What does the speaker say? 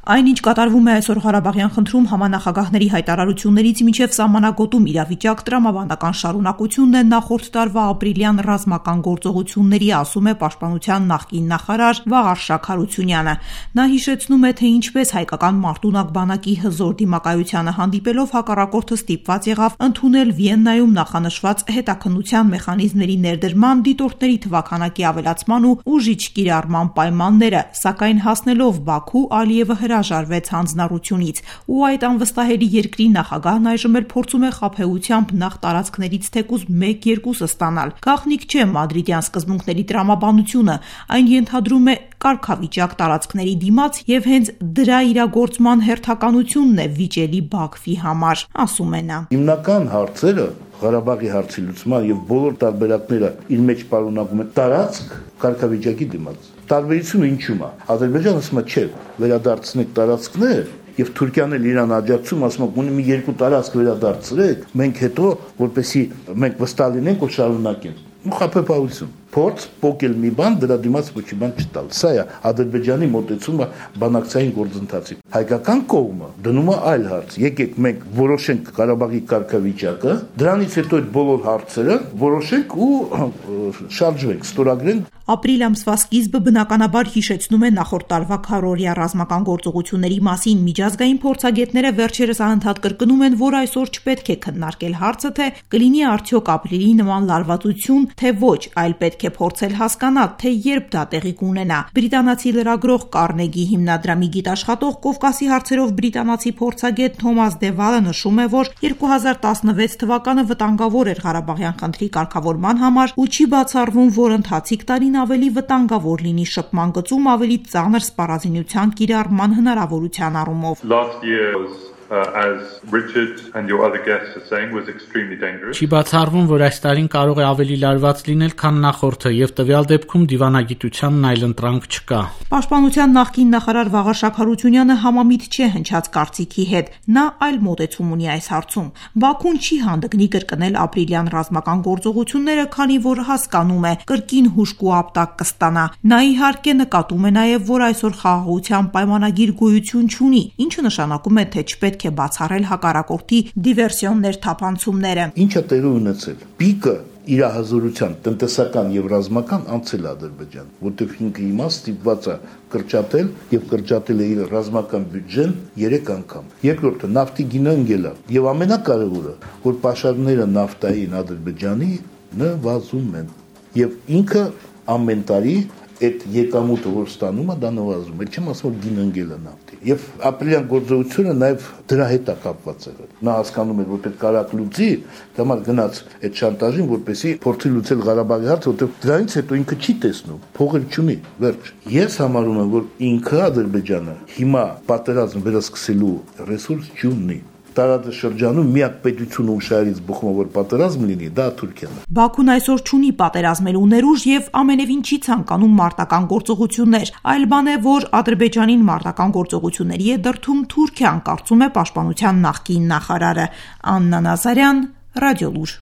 Այն, ինչ կատարվում է այսօր Ղարաբաղյան խնդրում, համանախագահների հայտարարություններից մինչև սահմանագոտում իրավիճակ տրամաբանական շարունակությունն է նախորդ տարվա ապրիլյան ռազմական գործողությունների, ասում է Պաշտպանության նախկին նախարար Վաղարշակ Հարությունյանը։ Նա հիշեցնում է, թե ինչպես հայկական մարտունակ բանակի հզոր դիմակայությանը հանդիպելով հակառակորդը ստիպված եղավ ընդունել Վիեննայում նախանշված հետաքննության մեխանիզմների ներդրման, դիտորդների թվաքանակի ավելացման ու ուժիչ կիրառման պայմանները, սակայն հասնելով Բաքու, Ալիևը հրաժարվեց հանձնառությունից ու այդ անվստահելի երկրի նախագահն այժմ էլ փորձում է խաբեությամբ նախ տարածքներից թեկուզ 1-2 ստանալ։ Գաղտնիք չէ մադրիդյան սկզբունքների տրամաբանությունը, այն ենթադրում է կարգավիճակ տարածքների դիմաց եւ հենց դրա իրագործման հերթականությունն է վիճելի Բաքվի համար, ասում է նա։ Հիմնական հարցերը Ղարաբաղի հարցի լուծման եւ բոլոր տարբերակները իր մեջ պարունակում են տարածք կարգավիճակի դիմաց։ Տարբերությունը ինչու՞մ է։ Ադրբեջանը ասում է, չէ, վերադարձնեք տարածքներ, եւ Թուրքիան էլ իրան աջակցում, ասում է, ունի մի երկու տարածք վերադարձրեք, մենք հետո որպեսի մենք վստահ լինենք ու շարունակենք։ Խաբեբայություն, փորձ փոկել մի բան, դրա դիմաց ոչ մի բան չտալ։ Սա է Ադրբեջանի մոտեցումը բանակցային գործընթացի։ Հայկական կողմը դնում է այլ հարց։ Եկեք մենք որոշենք Ղարաբաղի կարգավիճակը, դրանից հետո այդ բոլոր հարցերը որոշենք ու շարժվենք, ստորագրենք։ Ապրիլ ամսվա սկիզբը բնականաբար հիշեցնում է նախորդ տարվա քառօրյա ռազմական գործողությունների մասին։ Միջազգային փորձագետները վերջերս անընդհատ կրկնում են, որ այսօր չպետք է քննարկել հարցը, թե կլինի արդյոք ապրիլի նման լարվածություն, թե ոչ, այլ պետք է փորձել հասկանալ, թե երբ դա տեղի կունենա։ Բրիտանացի լրագրող Կարնեգի հիմնադրամի գիտաշխատող Կովկասի հարցերով բրիտանացի փորձագետ Թոմաս Դևալը նշում է, որ 2016 թվականը վտանգավոր էր Ղարաբաղյան խնդրի կարգավորման համար ու չի բացառվում, որ ընթացիկ տարին ավելի վտանգավոր լինի շփման գծում ավելի ծանր սպառազինության կիրառման հնարավորության առումով։ As Richard and your other guests are saying, was extremely dangerous. Չի բացառվում, որ այս տարին կարող է ավելի լարված լինել, քան նախորդը, եւ տվյալ դեպքում դիվանագիտությանն այլ ընտրանք չկա։ Պաշտպանության նախկին նախարար Վաղարշակ Հարությունյանը համամիտ չէ հնչած կարծիքի հետ։ Նա այլ մոտեցում ունի այս հարցում։ Բաքուն չի հանդգնի կրկնել ապրիլյան ռազմական գործողությունները, քանի որ հասկանում է կրկին հուշկ ու ապտակ կստանա։ Նա իհարկե նկատում է նաեւ, որ այսօր խաղաղության պայմանագիր գոյություն չունի, ինչը նշանակում է, թե չպետք է բացառել հակառակորդի դիվերսիոններ թափանցումները։ Ինչը տեղի ունեցել։ Պիկը իր հզորության տնտեսական եւ ռազմական անցել Ադրբեջան, որտեղ ինքը հիմա ստիպված է կրճատել եւ կրճատել է իր ռազմական բյուջեն 3 անգամ։ Երկրորդը նավթի գինը ընկել է եւ ամենակարևորը, որ պաշարները նավթային Ադրբեջանի նվազում են եւ ինքը ամեն տարի այդ եկամուտը որ ստանում է, դա նվազում է։ Չեմ ասում, որ գինը ընկել է նավթի։ Եվ ապրիլյան գործողությունը նաև դրա հետ է կապված եղել։ Նա հասկանում էր, որ պետք կարակ լուծի, դամար գնաց այդ շանտաժին, որպեսզի փորձի լուծել Ղարաբաղի հարցը, որտեղ դրանից հետո ինքը չի տեսնում, փողը չունի, վերջ։ Ես համարում եմ, որ ինքը Ադրբեջանը հիմա պատերազմ վերսկսելու ռեսուրս չունի։ Տարածաշրջանում միակ պետությունը ում շահերից բխում է, որ պատերազմ լինի, դա Թուրքիան է։ Բաքուն այսօր չունի պատերազմելու ներուժ եւ ամենևին չի ցանկանում մարտական գործողություններ, այլ բան է, որ Ադրբեջանին մարտական գործողությունների է դրդում Թուրքիան, կարծում է Պաշտպանության նախկին նախարարը։ Աննա Նազարյան, Ռադիոլուր։